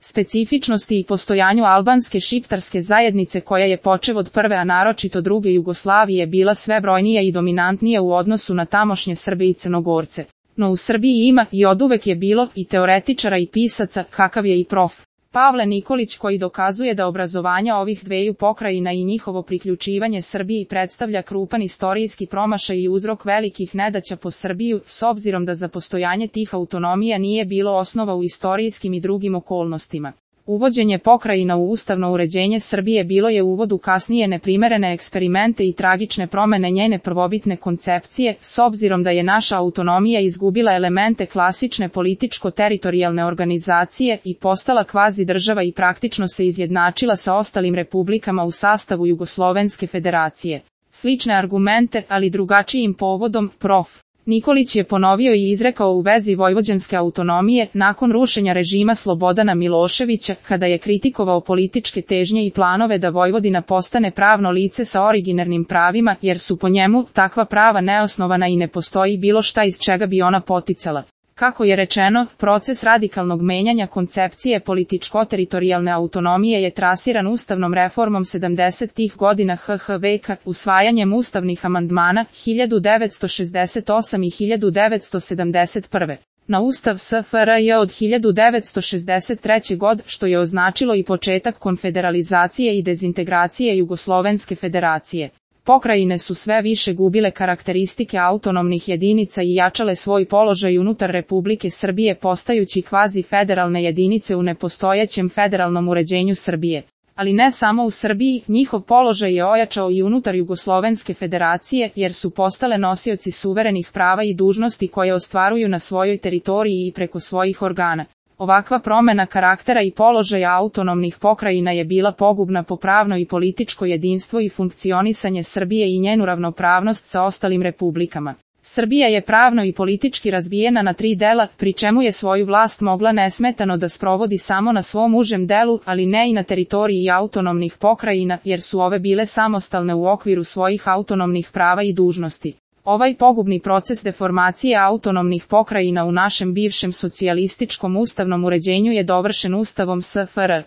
specifičnosti i postojanju albanske šiptarske zajednice koja je počev od prve a naročito druge Jugoslavije bila sve brojnija i dominantnija u odnosu na tamošnje Srbe i Crnogorce. No u Srbiji ima i oduvek je bilo i teoretičara i pisaca, kakav je i prof. Pavle Nikolić, koji dokazuje da obrazovanja ovih dveju pokrajina i njihovo priključivanje Srbiji predstavlja krupan istorijski promašaj i uzrok velikih nedaća po Srbiju, s obzirom da za postojanje tih autonomija nije bilo osnova u istorijskim i drugim okolnostima. Uvođenje pokrajina u ustavno uređenje Srbije bilo je uvod u kasnije neprimerene eksperimente i tragične promene njene prvobitne koncepcije, s obzirom da je naša autonomija izgubila elemente klasične političko-teritorijalne organizacije i postala kvazi država i praktično se izjednačila sa ostalim republikama u sastavu Jugoslovenske federacije. Slične argumente, ali drugačijim povodom, prof. Nikolić je ponovio i izrekao u vezi vojvođanske autonomije nakon rušenja režima Slobodana Miloševića, kada je kritikovao političke težnje i planove da Vojvodina postane pravno lice sa originarnim pravima, jer su po njemu takva prava neosnovana i ne postoji bilo šta iz čega bi ona poticala. Kako je rečeno, proces radikalnog menjanja koncepcije političko-teritorijalne autonomije je trasiran ustavnom reformom 70-ih godina HH veka, usvajanjem ustavnih amandmana 1968 i 1971. na Ustav SFRJ od 1963. god, što je označilo i početak konfederalizacije i dezintegracije Jugoslovenske federacije. Pokrajine su sve više gubile karakteristike autonomnih jedinica i jačale svoj položaj unutar Republike Srbije postajući kvazi federalne jedinice u nepostojećem federalnom uređenju Srbije. Ali ne samo u Srbiji, njihov položaj je ojačao i unutar Jugoslovenske federacije, jer su postale nosioci suverenih prava i dužnosti koje ostvaruju na svojoj teritoriji i preko svojih organa. Ovakva promena karaktera i položaja autonomnih pokrajina je bila pogubna po pravno i političko jedinstvo i funkcionisanje Srbije i njenu ravnopravnost sa ostalim republikama. Srbija je pravno i politički razbijena na 3 dela, pri čemu je svoju vlast mogla nesmetano da sprovodi samo na svom užem delu, ali ne i na teritoriji autonomnih pokrajina, jer su ove bile samostalne u okviru svojih autonomnih prava i dužnosti. Ovaj pogubni proces deformacije autonomnih pokrajina u našem bivšem socijalističkom ustavnom uređenju je dovršen Ustavom SFRJ.